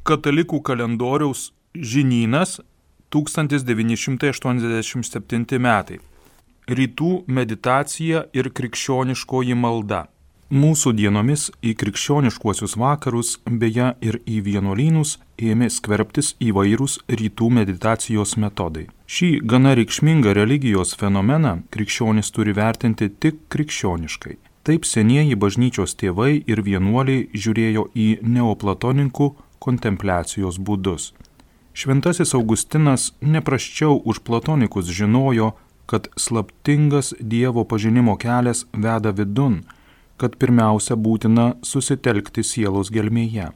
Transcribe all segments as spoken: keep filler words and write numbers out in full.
Katalikų kalendoriaus žinynas tūkstantis devyni šimtai aštuoniasdešimt septinti metai. Rytų meditacija ir krikščioniškoji malda. Mūsų dienomis į krikščioniškuosius vakarus, beje ir į vienuolynus, ėmė skverbtis įvairūs rytų meditacijos metodai. Šį gana reikšmingą religijos fenomeną krikščionis turi vertinti tik krikščioniškai. Taip senieji bažnyčios tėvai ir vienuoliai žiūrėjo į neoplatoninkų kontempliacijos būdus. Šventasis Augustinas neprasčiau už platonikus žinojo, kad slaptingas Dievo pažinimo kelias veda vidun, kad pirmiausia būtina susitelkti sielos gelmėje.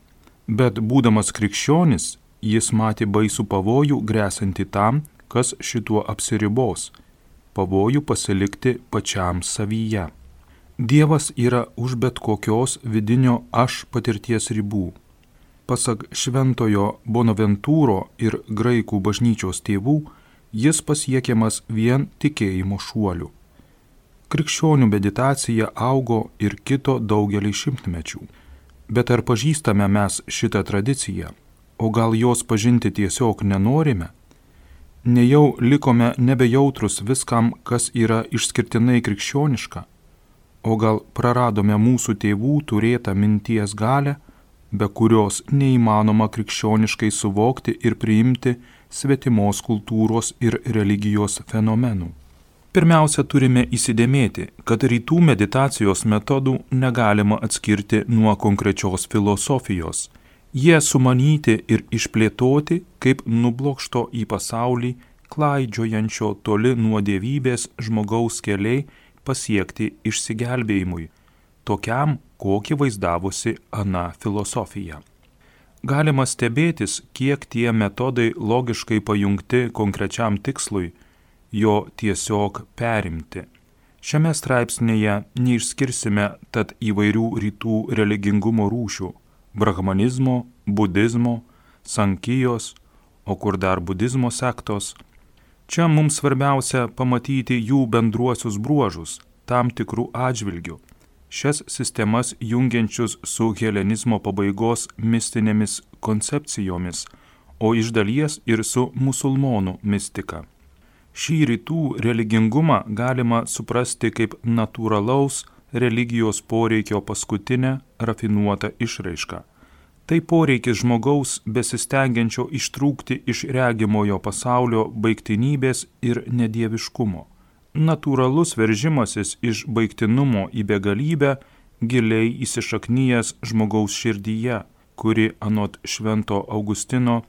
Bet būdamas krikščionis, jis matė baisų pavojų grėsiantį tam, kas šituo apsiribos, pavojų pasilikti pačiam savyje. Dievas yra už bet kokios vidinio aš patirties ribų. Pasak šventojo Bonaventūro ir graikų bažnyčios tėvų, jis pasiekiamas vien tikėjimo šuoliu. Krikščionių meditacija augo ir kito daugelį šimtmečių. Bet ar pažįstame mes šitą tradiciją, o gal jos pažinti tiesiog nenorime? Nejau likome nebejautrus viskam, kas yra išskirtinai krikščioniška? O gal praradome mūsų tėvų turėtą minties galę, be kurios neįmanoma krikščioniškai suvokti ir priimti svetimos kultūros ir religijos fenomenų? Pirmiausia, turime įsidėmėti, kad rytų meditacijos metodų negalima atskirti nuo konkrečios filosofijos. Jie sumanyti ir išplėtoti kaip nublokšto į pasaulį, klaidžiojančio toli nuo dievybės žmogaus keliai pasiekti išsigelbėjimui, tokiam, kokį vaizdavosi ana filosofija. Galima stebėtis, kiek tie metodai logiškai pajungti konkrečiam tikslui, jo tiesiog perimti. Šiame straipsnėje neišskirsime tad įvairių rytų religingumo rūšių – brahmanizmo, budizmo, sankijos, o kur dar budizmo sektos. Čia mums svarbiausia pamatyti jų bendruosius bruožus, tam tikrų atžvilgių, šias sistemas jungiančius su helenizmo pabaigos mistinėmis koncepcijomis, o iš dalies ir su musulmonų mistika. Šį rytų religingumą galima suprasti kaip natūralaus religijos poreikio paskutinę rafinuotą išraišką. Tai poreikis žmogaus besistengiančio ištrūkti iš regimojo pasaulio baigtinybės ir nedieviškumo. Natūralus veržimasis iš baigtinumo į begalybę giliai įsišaknyjęs žmogaus širdyje, kuri anot švento Augustino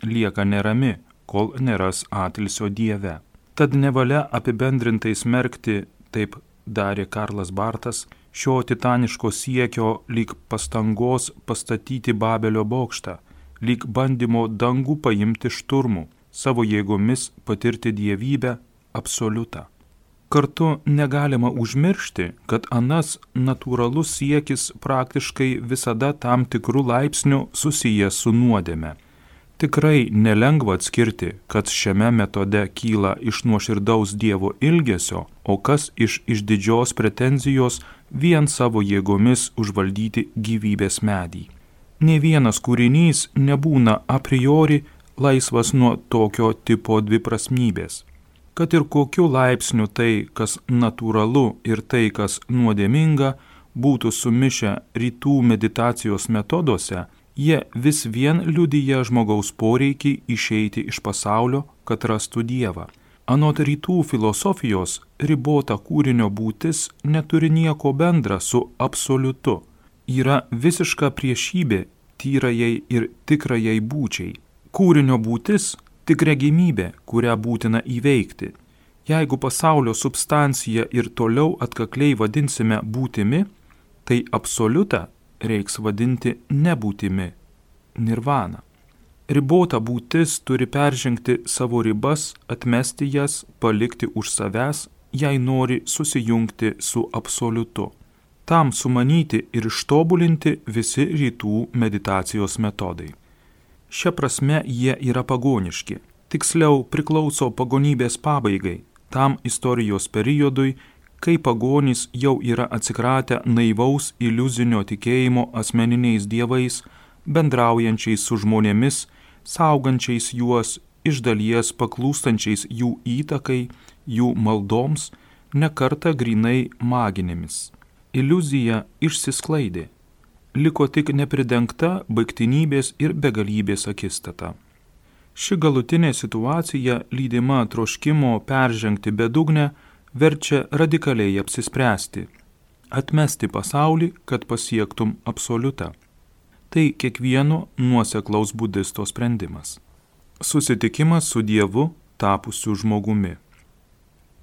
lieka nerami, kol neras atilsio Dieve. Tad nevalia apibendrintai smerkti, taip darė Karlas Bartas, šio titaniško siekio lyg pastangos pastatyti Babelio bokštą, lyg bandymo dangų paimti šturmų, savo jėgomis patirti dievybę absoliutą. Kartu negalima užmiršti, kad anas natūralus siekis praktiškai visada tam tikrų laipsnių susijęs su nuodėme. Tikrai nelengva atskirti, kas šiame metode kyla iš nuoširdaus Dievo ilgesio, o kas iš išdidžios pretenzijos vien savo jėgomis užvaldyti gyvybės medį. Nė vienas kūrinys nebūna a priori laisvas nuo tokio tipo dviprasmybės. Kad ir kokiu laipsniu tai, kas natūralu ir tai, kas nuodėminga, būtų sumišę rytų meditacijos metoduose, jie vis vien liudija žmogaus poreikį išeiti iš pasaulio, kad rastų Dievą. Anot rytų filosofijos, ribota kūrinio būtis neturi nieko bendra su absoliutu. Yra visiška priešybė tyrajai ir tikrajai būčiai. Kūrinio būtis tik regimybė, kurią būtina įveikti. Jeigu pasaulio substanciją ir toliau atkakliai vadinsime būtimi, tai absoliutą reiks vadinti nebūtimi, nirvana. Ribota būtis turi peržengti savo ribas, atmesti jas, palikti už savęs, jei nori susijungti su absoliutu. Tam sumanyti ir ištobulinti visi rytų meditacijos metodai. Šia prasme jie yra pagoniški, tiksliau priklauso pagonybės pabaigai, tam istorijos periodui, kai pagonys jau yra atsikratę naivaus iliuzinio tikėjimo asmeniniais dievais, bendraujančiais su žmonėmis, saugančiais juos, iš dalies paklūstančiais jų įtakai, jų maldoms, nekartą grynai maginėmis. Iliuzija išsisklaidė. Liko tik nepridengta baigtinybės ir begalybės akistata. Ši galutinė situacija, lydima troškimo peržengti bedugnę, verčia radikaliai apsispręsti, atmesti pasaulį, kad pasiektum absoliutą. Tai kiekvieno nuoseklaus budisto sprendimas. Susitikimas su Dievu tapusiu žmogumi.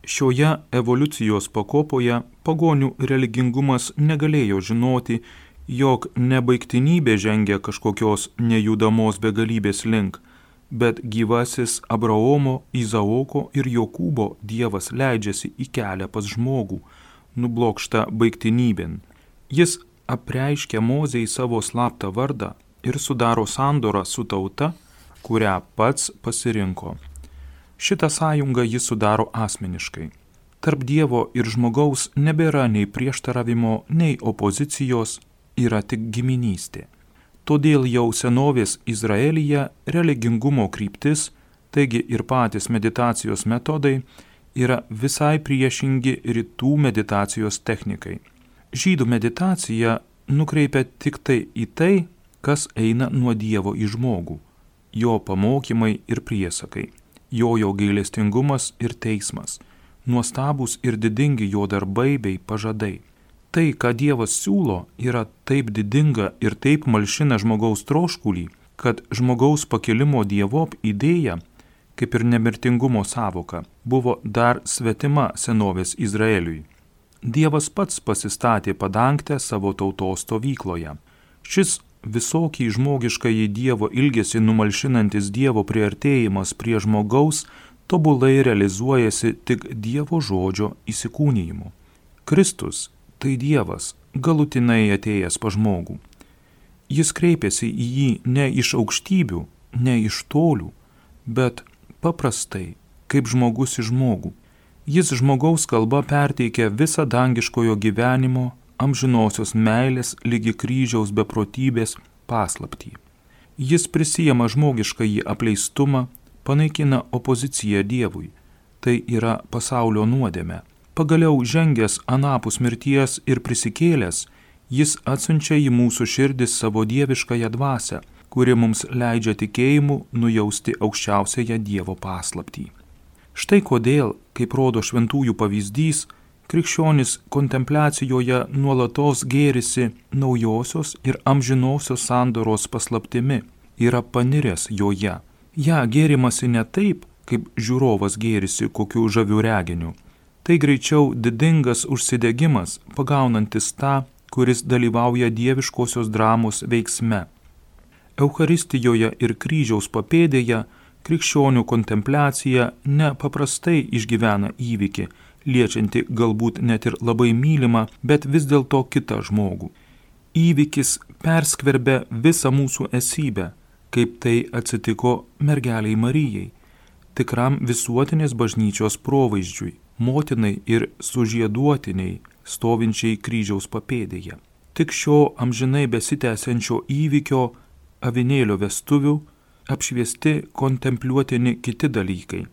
Šioje evoliucijos pakopoje pagonių religingumas negalėjo žinoti, jog nebaigtinybė žengia kažkokios nejudamos begalybės link, bet gyvasis Abraomo, Izaoko ir Jokūbo Dievas leidžiasi į kelią pas žmogų, nublokštą baigtinybėn. Jis apreiškia Mozei savo slaptą vardą ir sudaro sandorą su tauta, kurią pats pasirinko. Šitą sąjungą jis sudaro asmeniškai. Tarp Dievo ir žmogaus nebėra nei prieštaravimo, nei opozicijos, yra tik giminystė. Todėl jau senovės Izraelyje religingumo kryptis, taigi ir patys meditacijos metodai, yra visai priešingi rytų meditacijos technikai. Žydų meditacija nukreipia tik tai į tai, kas eina nuo Dievo į žmogų, jo pamokymai ir priesakai, jojo gailestingumas ir teismas, nuostabūs ir didingi jo darbai bei pažadai. Tai, ką Dievas siūlo, yra taip didinga ir taip malšina žmogaus troškulį, kad žmogaus pakilimo Dievop idėja, kaip ir nemirtingumo sąvoka, buvo dar svetima senovės Izraeliui. Dievas pats pasistatė padangtę savo tautos stovykloje. Šis visokį žmogiškąjį Dievo ilgesį numalšinantis Dievo priartėjimas prie žmogaus tobulai realizuojasi tik Dievo žodžio įsikūnijimu. Kristus tai Dievas, galutinai atėjęs pa žmogų. Jis kreipėsi į jį ne iš aukštybių, ne iš tolių, bet paprastai, kaip žmogus į žmogų. Jis žmogaus kalba perteikia visą dangiškojo gyvenimo, amžinosios meilės lygi kryžiaus beprotybės paslaptį. Jis prisijama žmogiškąjį apleistumą, panaikina opoziciją Dievui, tai yra pasaulio nuodėmė. Pagaliau žengęs anapus mirties ir prisikėlęs, jis atsiunčia į mūsų širdis savo dieviškąją dvasią, kuri mums leidžia tikėjimu nujausti aukščiausiąją Dievo paslaptį. Štai kodėl, kaip rodo šventųjų pavyzdys, krikščionis kontempliacijoje nuolatos gėrisi naujosios ir amžinosios sandoros paslaptimi, yra paniręs joje. Ja gėrimasi ne taip, kaip žiūrovas gėrisi kokiu žaviu reginiu. Tai greičiau didingas užsidegimas, pagaunantis tą, kuris dalyvauja dieviškosios dramos veiksme. Eucharistijoje ir kryžiaus papėdėje krikščionių kontempliacija nepaprastai išgyvena įvykį, liečianti galbūt net ir labai mylimą, bet vis dėlto kitą žmogų. Įvykis perskverbia visą mūsų esybę, kaip tai atsitiko mergeliai Marijai, tikram visuotinės bažnyčios provaizdžiui, motinai ir sužieduotiniai, stovinčiai kryžiaus papėdėje. Tik šio amžinai besitęsiančio įvykio avinėlio vestuvių apšviesti kontempliuotini kiti dalykai.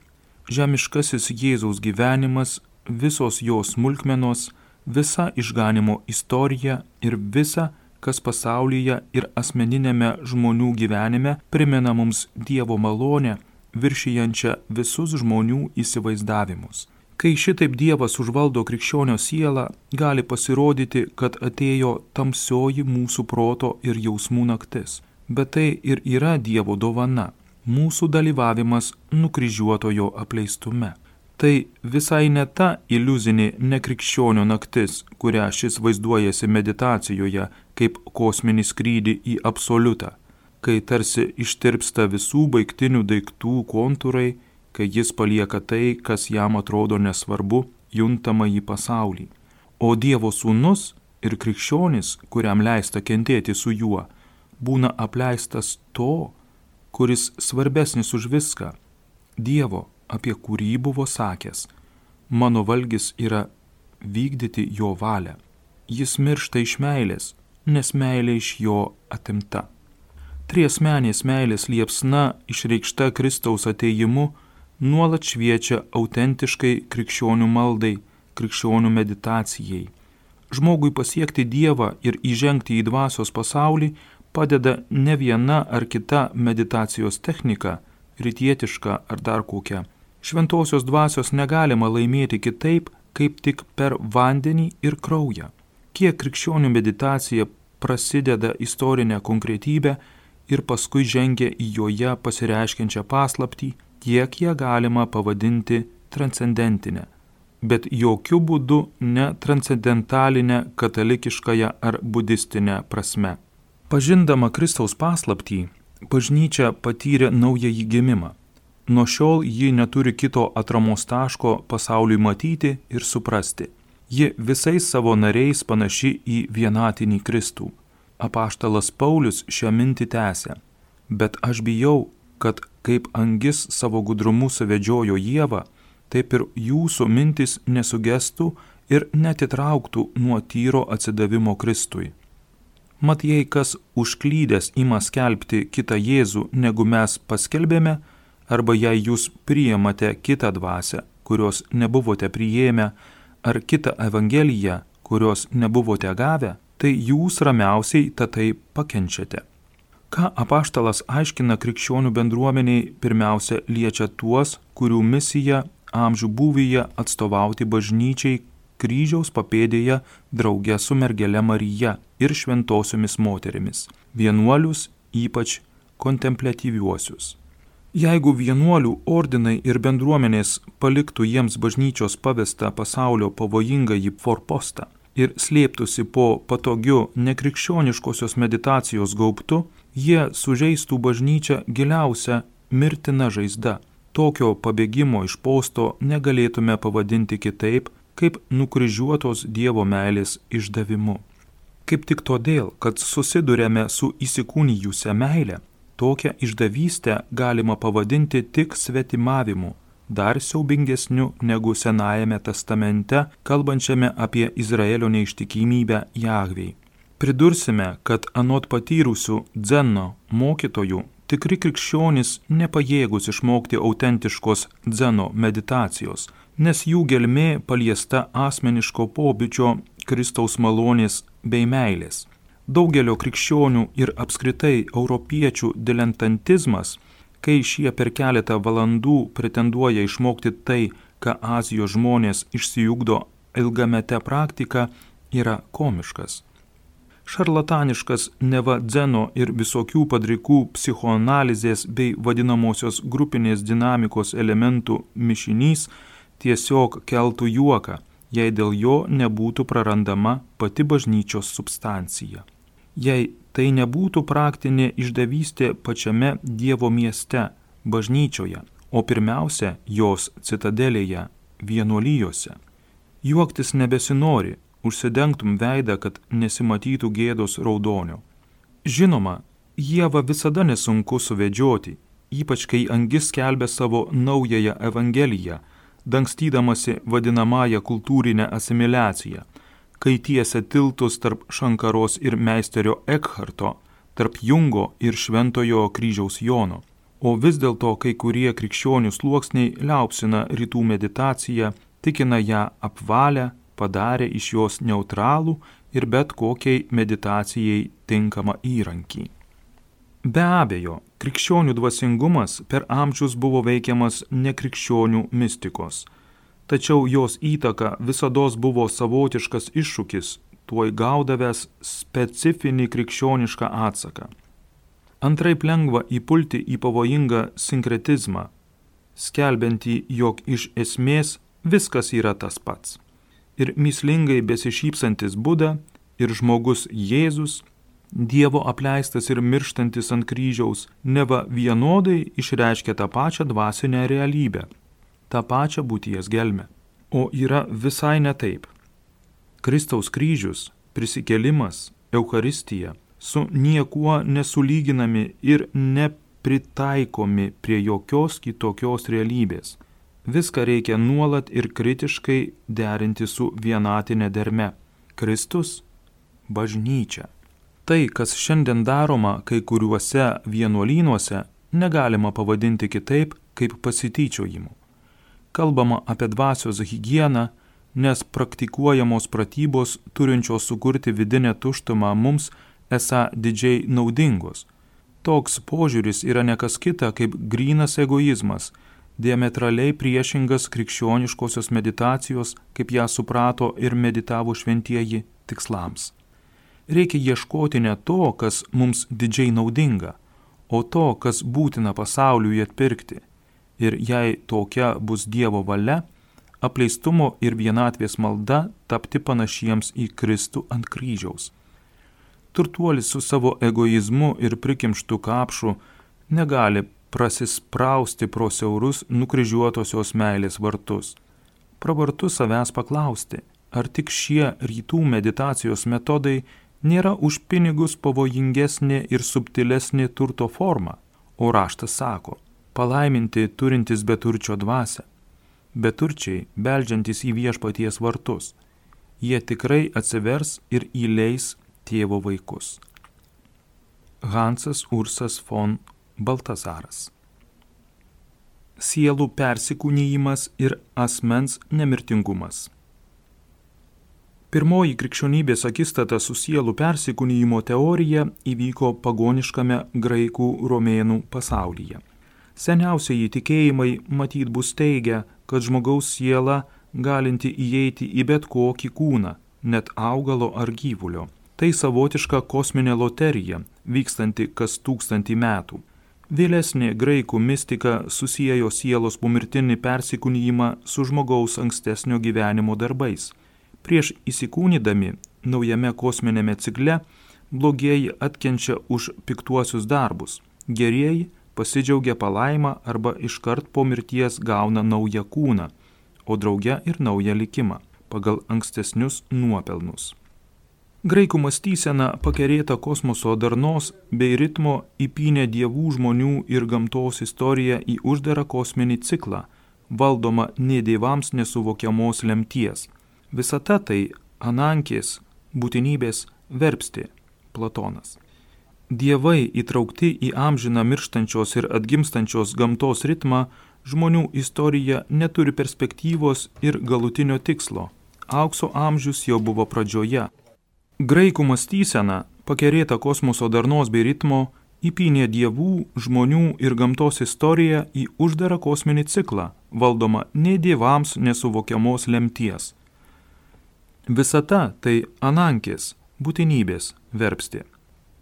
Žemiškasis Jėzaus gyvenimas, visos jo smulkmenos, visa išganimo istorija ir visa, kas pasaulyje ir asmeninėme žmonių gyvenime primena mums Dievo malonę, viršijančią visus žmonių įsivaizdavimus. Kai šitaip Dievas užvaldo krikščionio sielą, gali pasirodyti, kad atėjo tamsioji mūsų proto ir jausmų naktis. Bet tai ir yra Dievo dovana, mūsų dalyvavimas nukryžiuotojo apleistume. Tai visai ne ta iliuzinė nekrikščionio naktis, kurią šis vaizduojasi meditacijoje kaip kosminį skrydį į absoliutą, kai tarsi ištirpsta visų baigtinių daiktų kontūrai, kai jis palieka tai, kas jam atrodo nesvarbu, juntama į pasaulį. O Dievo sūnus ir krikščionis, kuriam leista kentėti su juo, būna apleistas to, kuris svarbesnis už viską, Dievo, apie kurį buvo sakęs, mano valgis yra vykdyti jo valią. Jis miršta iš meilės, nes meilė iš jo atimta. Triasmenės meilės liepsna išreikšta Kristaus atėjimu nuolat šviečia autentiškai krikščionių maldai, krikščionių meditacijai. Žmogui pasiekti Dievą ir įžengti į dvasios pasaulį padeda ne viena ar kita meditacijos technika, rytietiška ar dar kokia. Šventosios dvasios negalima laimėti kitaip, kaip tik per vandenį ir kraują. Kiek krikščionių meditacija prasideda istorinę konkretybę ir paskui žengia į joje pasireiškiančią paslaptį, tiek ją galima pavadinti transcendentinę, bet jokių būdų ne transcendentalinę katalikiškąją ar budistinę prasme. Pažindama Kristaus paslaptį, bažnyčia patyrė naująjį gimimą. Nuo šiol ji neturi kito atramos taško pasauliui matyti ir suprasti. Ji visais savo nariais panaši į vienatinį Kristų. Apaštalas Paulius šią mintį tęsia. Bet aš bijau, kad kaip angis savo gudrumu suvedžiojo Ievą, taip ir jūsų mintis nesugestų ir netitrauktų nuo tyro atsidavimo Kristui. Mat jei kas užklydęs ima skelbti kitą Jėzų, negu mes paskelbėme, arba jei jūs priimate kitą dvasią, kurios nebuvote priėmę, ar kitą evangeliją, kurios nebuvote gavę, tai jūs ramiausiai tatai pakenčiate. Ką apaštalas aiškina krikščionių bendruomeniai, pirmiausia liečia tuos, kurių misija amžių būvyje atstovauti bažnyčiai kryžiaus papėdėje drauge su mergele Marija ir šventosiomis moterimis, vienuolius, ypač kontempliatyviuosius. Jeigu vienuolių ordinai ir bendruomenės paliktų jiems bažnyčios pavestą pasaulio pavojingąjį forpostą ir slėptųsi po patogiu nekrikščioniškosios meditacijos gaubtu, jie sužeistų bažnyčią giliausia mirtina žaizda. Tokio pabėgimo iš posto negalėtume pavadinti kitaip, kaip nukryžiuotos Dievo meilės išdavimu. Kaip tik todėl, kad susidurėme su įsikūnijusia meile, tokią išdavystę galima pavadinti tik svetimavimu, dar siaubingesniu negu Senajame testamente, kalbančiame apie Izraelio neištikimybę Jahvei. Pridursime, kad anot patyrusių dzeno mokytojų, tikri krikščionys nepajėgus išmokti autentiškos dzeno meditacijos, nes jų gelmė paliesta asmeniško pobūdžio Kristaus malonės bei meilės. Daugelio krikščionių ir apskritai europiečių dilentantizmas, kai šie per keletą valandų pretenduoja išmokti tai, ką Azijos žmonės išsiugdo ilgamete praktika, yra komiškas. Šarlataniškas neva dzeno ir visokių padrikų psichoanalizės bei vadinamosios grupinės dinamikos elementų mišinys tiesiog keltų juoką, jei dėl jo nebūtų prarandama pati bažnyčios substancija. Jei tai nebūtų praktinė išdavystė pačiame Dievo mieste, bažnyčioje, o pirmiausia jos citadelėje, vienuolijose. Juoktis nebesinori, užsidengtum veidą, kad nesimatytų gėdos raudonio. Žinoma, Ievą visada nesunku suvedžioti, ypač kai angis skelbia savo naująją evangeliją, dangstydamasi vadinamąją kultūrinę asimiliaciją, kai tiesia tiltus tarp Šankaros ir meisterio Ekharto, tarp Jungo ir Šventojo kryžiaus Jono. O vis dėlto kai kurie krikščionių sluoksniai liaupsina rytų meditaciją, tikina ją apvalę, padarė iš jos neutralų ir bet kokiai meditacijai tinkamą įrankį. Be abejo, krikščionių dvasingumas per amžius buvo veikiamas nekrikščionių mistikos. Tačiau jos įtaka visados buvo savotiškas iššūkis, tuoj gaudavęs specifinį krikščionišką atsaką. Antraip lengva įpulti į pavojingą sinkretizmą, skelbiantį, jog iš esmės viskas yra tas pats. Ir mįslingai besišypsantis Buda, ir žmogus Jėzus, Dievo apleistas ir mirštantis ant kryžiaus, neva vienodai išreiškia tą pačią dvasinę realybę, tą pačią būties gelmę. O yra visai ne taip. Kristaus kryžius, prisikėlimas, Eucharistija su niekuo nesulyginami ir nepritaikomi prie jokios kitokios realybės. Viską reikia nuolat ir kritiškai derinti su vienatinė derme. Kristus, bažnyčia. Tai, kas šiandien daroma kai kuriuose vienuolynuose, negalima pavadinti kitaip kaip pasityčiojimu. Kalbama apie dvasios higieną, nes praktikuojamos pratybos turinčios sukurti vidinę tuštumą mums esą didžiai naudingos. Toks požiūris yra nekas kita kaip grynas egoizmas, diametraliai priešingas krikščioniškosios meditacijos, kaip ją suprato ir meditavo šventieji, tikslams. Reikia ieškoti ne to, kas mums didžiai naudinga, o to, kas būtina pasauliui atpirkti. Ir jei tokia bus Dievo valia, apleistumo ir vienatvės malda tapti panašiems į Kristų ant kryžiaus. Turtuolis su savo egoizmu ir prikimštu kapšu negali prasisprausti pro siaurus nukryžiuotosios meilės vartus. Pravartu savęs paklausti, ar tik šie rytų meditacijos metodai nėra už pinigus pavojingesnė ir subtilesnė turto forma, o raštas sako, palaiminti turintis beturčio dvasią. Beturčiai, beldžiantis į viešpaties vartus, jie tikrai atsivers ir įleis tėvo vaikus. Hansas Ursas von Baltazaras. Sielų persikūnijimas ir asmens nemirtingumas. Pirmoji krikščionybės akistata su sielų persikūnijimo teorija įvyko pagoniškame graikų romėnų pasaulyje. Seniausiai tikėjimai matyt bus teigia, kad žmogaus siela galinti įeiti į bet kokį kūną, net augalo ar gyvulio. Tai savotiška kosminė loterija, vykstanti kas tūkstantį metų. Vėlesnė graikų mistika susiejo sielos pomirtinį persikūnijimą su žmogaus ankstesnio gyvenimo darbais. Prieš įsikūnydami naujame kosminėme cikle, blogieji atkenčia už piktuosius darbus, gerieji pasidžiaugia palaima arba iškart po mirties gauna naują kūną, o drauge ir naują likimą, pagal ankstesnius nuopelnus. Graikų mąstysena pakerėta kosmoso darnos bei ritmo įpynė dievų, žmonių ir gamtos istoriją į uždarą kosminį ciklą, valdomą ne dievams nesuvokiamos lemties. Visata tai anankės, būtinybės verpstė, Platonas. Dievai įtraukti į amžiną mirštančios ir atgimstančios gamtos ritmą, žmonių istorija neturi perspektyvos ir galutinio tikslo. Aukso amžius jau buvo pradžioje. Graikų mąstysena, pakerėta kosmoso darnos bei ritmo, įpynė dievų, žmonių ir gamtos istoriją į uždarą kosminį ciklą, valdomą ne dievams nesuvokiamos lemties. Visata tai anankės, būtinybės verpstė,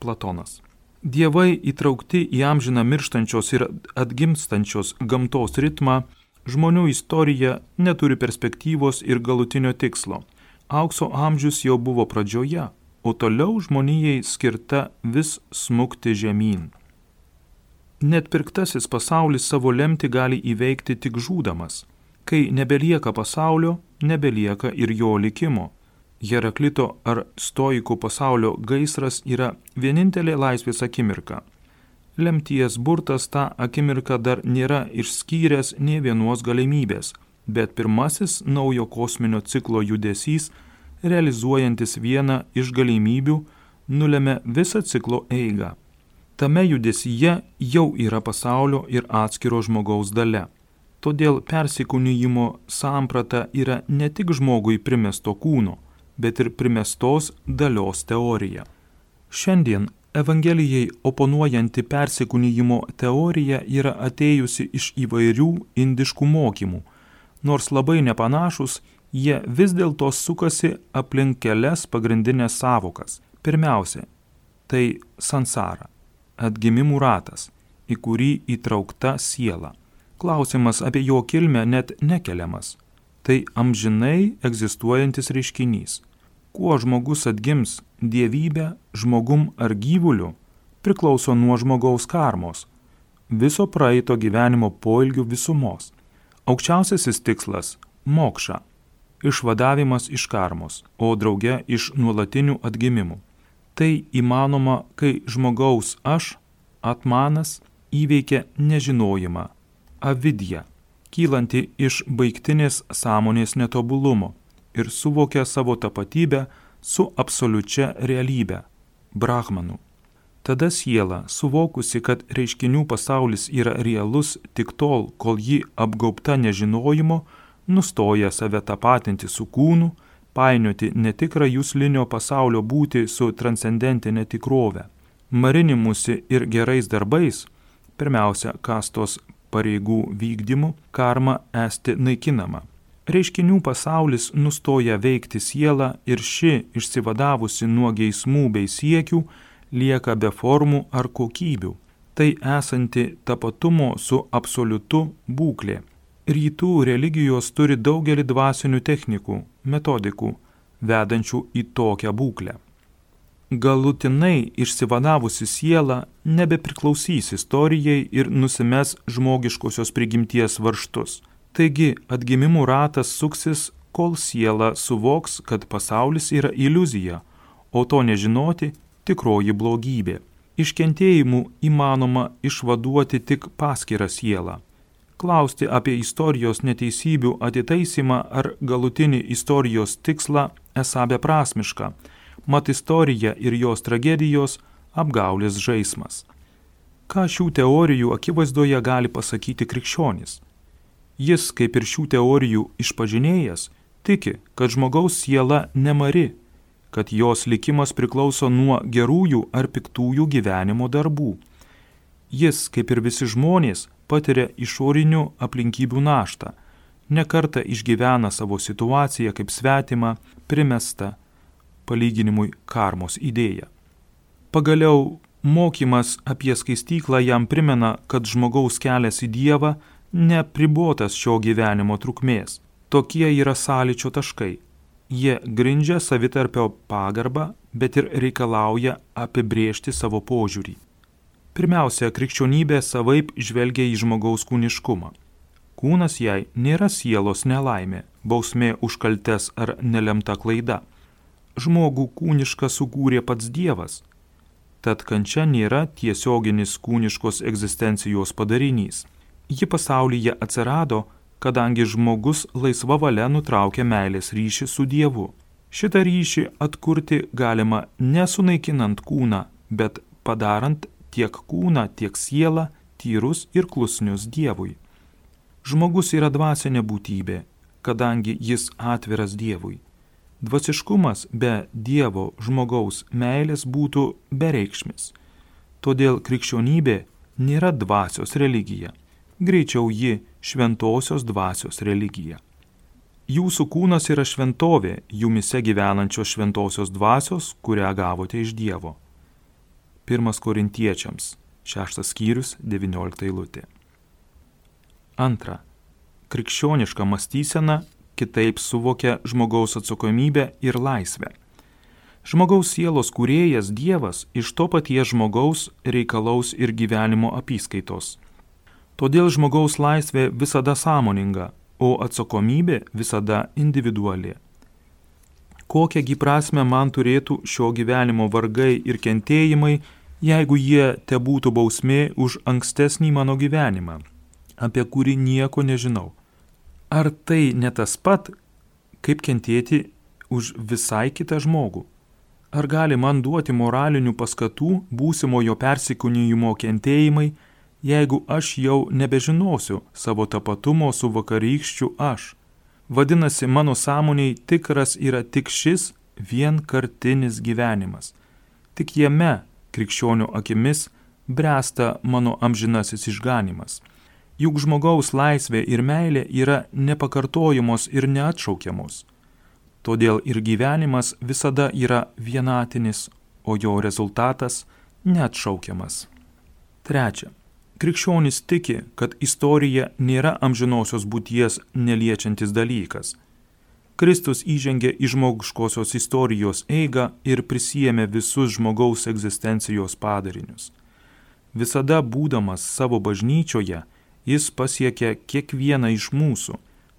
Platonas. Dievai įtraukti į amžiną mirštančios ir atgimstančios gamtos ritmą, žmonių istorija neturi perspektyvos ir galutinio tikslo. Aukso amžius jau buvo pradžioje, o toliau žmonijai skirta vis smukti žemyn. Net pirktasis pasaulis savo lemtį gali įveikti tik žūdamas. Kai nebelieka pasaulio, nebelieka ir jo likimo. Heraklito ar stoikų pasaulio gaisras yra vienintelė laisvės akimirka. Lemties burtas tą akimirką dar nėra išskyręs nė vienos galimybės, bet pirmasis naujo kosminio ciklo judesys, realizuojantis vieną iš galimybių, nulemia visą ciklo eigą. Tame judesyje jau yra pasaulio ir atskiro žmogaus dalia. Todėl persikūnijimo samprata yra ne tik žmogui primesto kūno, bet ir primestos dalios teorija. Šiandien Evangelijai oponuojanti persikūnijimo teorija yra atėjusi iš įvairių indiškų mokymų. Nors labai nepanašus, jie vis dėlto sukasi aplink kelias pagrindinės savokas. Pirmiausia, tai sansara, atgimimų ratas, į kurį įtraukta siela. Klausimas apie jo kilmę net nekeliamas. Tai amžinai egzistuojantis reiškinys. Kuo žmogus atgims, dievybė, žmogum ar gyvuliu, priklauso nuo žmogaus karmos, viso praeito gyvenimo poilgių visumos. Aukščiausiasis tikslas – mokša, išvadavimas iš karmos, o drauge iš nuolatinių atgimimų. Tai įmanoma, kai žmogaus aš, atmanas, įveikia nežinojimą, avidją, kylanti iš baigtinės sąmonės netobulumo ir suvokia savo tapatybę su absoliučia realybe, brahmanų. Tada siela, suvokusi, kad reiškinių pasaulis yra realus tik tol, kol ji apgaubta nežinojimo, nustoja save tapatinti su kūnu, painioti netikrą juslinio pasaulio būtį su transcendentinė tikrove. Marinimusi ir gerais darbais, pirmiausia, kastos pareigų vykdymu, karma esti naikinama. Reiškinių pasaulis nustoja veikti sielą ir ši, išsivadavusi nuo geismų bei siekių, lieka be formų ar kokybių. Tai esanti tapatumo su absoliutu būklė. Rytų religijos turi daugelį dvasinių technikų, metodikų, vedančių į tokią būklę. Galutinai išsivadavusi siela nebepriklausys istorijai ir nusimes žmogiškosios prigimties varžtus. Taigi atgimimų ratas suksis, kol siela suvoks, kad pasaulis yra iliuzija, o to nežinoti tikroji blogybė. Iš kentėjimų įmanoma išvaduoti tik paskirą sielą. Klausti apie istorijos neteisybių atitaisymą ar galutinį istorijos tikslą esą beprasmiška, mat istorija ir jos tragedijos apgaulės žaismas. Ką šių teorijų akivaizdoje gali pasakyti krikščionis? Jis, kaip ir šių teorijų išpažinėjas, tiki, kad žmogaus siela nemari, kad jos likimas priklauso nuo gerųjų ar piktųjų gyvenimo darbų. Jis, kaip ir visi žmonės, patiria išorinių aplinkybių naštą, nekartą išgyvena savo situaciją kaip svetimą, primestą, palyginimui karmos idėją. Pagaliau, mokymas apie skaistyklą jam primena, kad žmogaus kelias į Dievą neapribotas šio gyvenimo trukmės. Tokie yra sąlyčio taškai. Jie grindžia savitarpio pagarbą, bet ir reikalauja apibrėžti savo požiūrį. Pirmiausia, krikščionybė savaip žvelgia į žmogaus kūniškumą. Kūnas jai nėra sielos nelaimė, bausmė už kaltes ar nelemta klaida. Žmogų kūnišką sukūrė pats Dievas, tad kančia nėra tiesioginis kūniškos egzistencijos padarinys. Ji pasaulyje atsirado, kadangi žmogus laisva valia nutraukia meilės ryšį su Dievu. Šitą ryšį atkurti galima nesunaikinant kūną, bet padarant tiek kūną, tiek sielą tyrus ir klusnius Dievui. Žmogus yra dvasinė būtybė, kadangi jis atviras Dievui. Dvasiškumas be Dievo žmogaus meilės būtų bereikšmis. Todėl krikščionybė nėra dvasios religija. Greičiau ji šventosios dvasios religija. Jūsų kūnas yra šventovė, jumise gyvenančios šventosios dvasios, kurią gavote iš Dievo. Pirmas Korintiečiams, šeštas skyrius, devyniolikta eilutė. Antra. Krikščioniška mąstysena kitaip suvokia žmogaus atsakomybę ir laisvę. Žmogaus sielos kūrėjas Dievas iš to paties žmogaus reikalaus ir gyvenimo apyskaitos. Todėl žmogaus laisvė visada sąmoninga, o atsakomybė visada individuali. Kokiągi prasmę man turėtų šio gyvenimo vargai ir kentėjimai, jeigu jie tebūtų bausmė už ankstesnį mano gyvenimą, apie kurį nieko nežinau? Ar tai ne tas pat, kaip kentėti už visai kitą žmogų? Ar gali man duoti moralinių paskatų būsimojo persikūnijimo kentėjimai, jeigu aš jau nebežinosiu savo tapatumo su vakarykščiu aš? Vadinasi, mano sąmoniai tikras yra tik šis vienkartinis gyvenimas. Tik jame, krikščionių akimis, bręsta mano amžinasis išganimas. Juk žmogaus laisvė ir meilė yra nepakartojamos ir neatšaukiamos. Todėl ir gyvenimas visada yra vienatinis, o jo rezultatas neatšaukiamas. Trečia. Krikščionis tiki, kad istorija nėra amžinosios būties neliečiantis dalykas. Kristus įžengė į žmogiškosios istorijos eigą ir prisijėmė visus žmogaus egzistencijos padarinius. Visada būdamas savo bažnyčioje, jis pasiekė kiekvieną iš mūsų.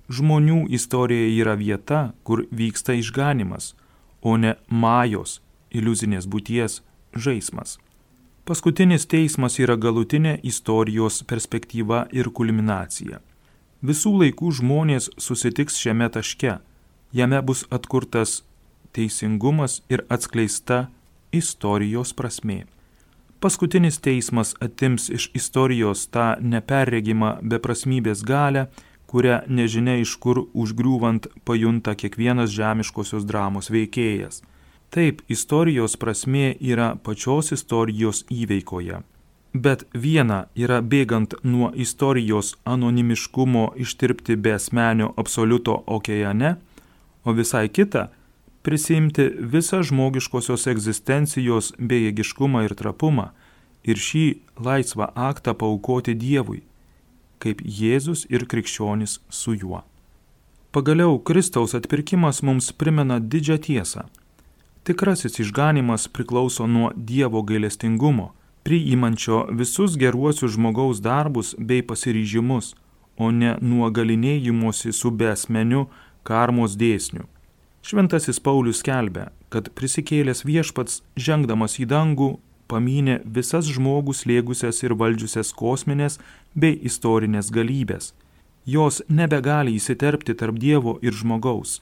Žmonių istorija yra vieta, kur vyksta išganimas, o ne majos, iliuzinės būties žaismas. Paskutinis teismas yra galutinė istorijos perspektyva ir kulminacija. Visų laikų žmonės susitiks šiame taške, jame bus atkurtas teisingumas ir atskleista istorijos prasmė. Paskutinis teismas atims iš istorijos tą neperregimą beprasmybės galią, kurią nežinia iš kur užgriūvant pajunta kiekvienas žemiškosios dramos veikėjas. Taip, istorijos prasmė yra pačios istorijos įveikoje. Bet viena yra bėgant nuo istorijos anonimiškumo ištirpti be asmenio absoliuto okeane, o visai kita – prisimti visą žmogiškosios egzistencijos bejėgiškumą ir trapumą ir šį laisvą aktą paaukoti Dievui, kaip Jėzus ir krikščionis su juo. Pagaliau Kristaus atpirkimas mums primena didžią tiesą. Tikrasis išganymas priklauso nuo Dievo gailestingumo, priimančio visus geruosius žmogaus darbus bei pasiryžimus, o ne nuo galinėjimosi su beasmeniu karmos dėsniu. Šventasis Paulius skelbia, kad prisikėlęs viešpats, žengdamas į dangų, pamynė visas žmogų slėgusias ir valdžiusias kosminės bei istorinės galybės. Jos nebegali įsiterpti tarp Dievo ir žmogaus.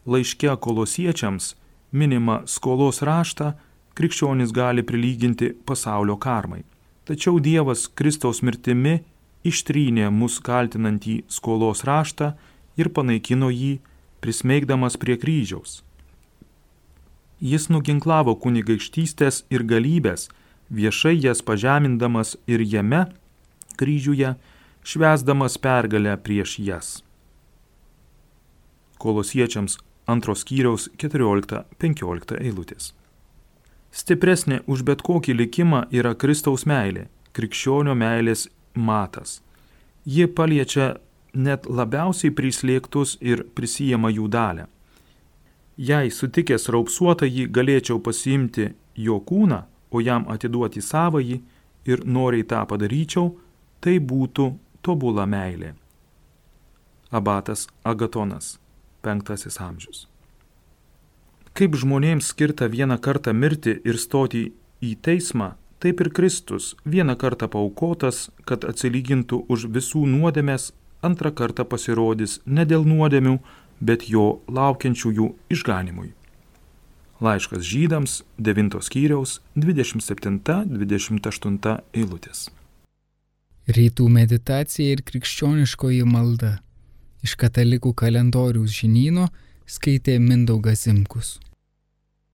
Laiške Kolosiečiams minima skolos raštą, krikščionis gali prilyginti pasaulio karmai. Tačiau Dievas Kristaus mirtimi ištrynė mus kaltinantį skolos raštą ir panaikino jį, prismeigdamas prie kryžiaus. Jis nuginklavo kunigaikštystės ir galybės, viešai jas pažemindamas ir jame, kryžiuje, švęsdamas pergalę prieš jas. Kolosiečiams antros skyriaus keturiolikta penkiolikta eilutės. Stipresnė už bet kokį likimą yra Kristaus meilė, krikščionio meilės matas. Ji paliečia net labiausiai prislėgtus ir prisijama jų dalę. Jei sutikęs raupsuotąjį galėčiau pasiimti jo kūną, o jam atiduoti savąjį ir noriai tą padaryčiau, tai būtų tobula meilė. Abatas Agatonas, penktasis amžius. Kaip žmonėms skirta vieną kartą mirti ir stoti į teismą, taip ir Kristus vieną kartą paaukotas, kad atsilygintų už visų nuodėmes, antrą kartą pasirodys ne dėl nuodėmių, bet jo laukiančiųjų išganimui. Laiškas žydams, devintos skyriaus, dvidešimt septinta dvidešimt aštunta eilutės. Rytų meditacija ir krikščioniškoji malda. Iš katalikų kalendoriaus žinyno skaitė Mindaugas Zimkus.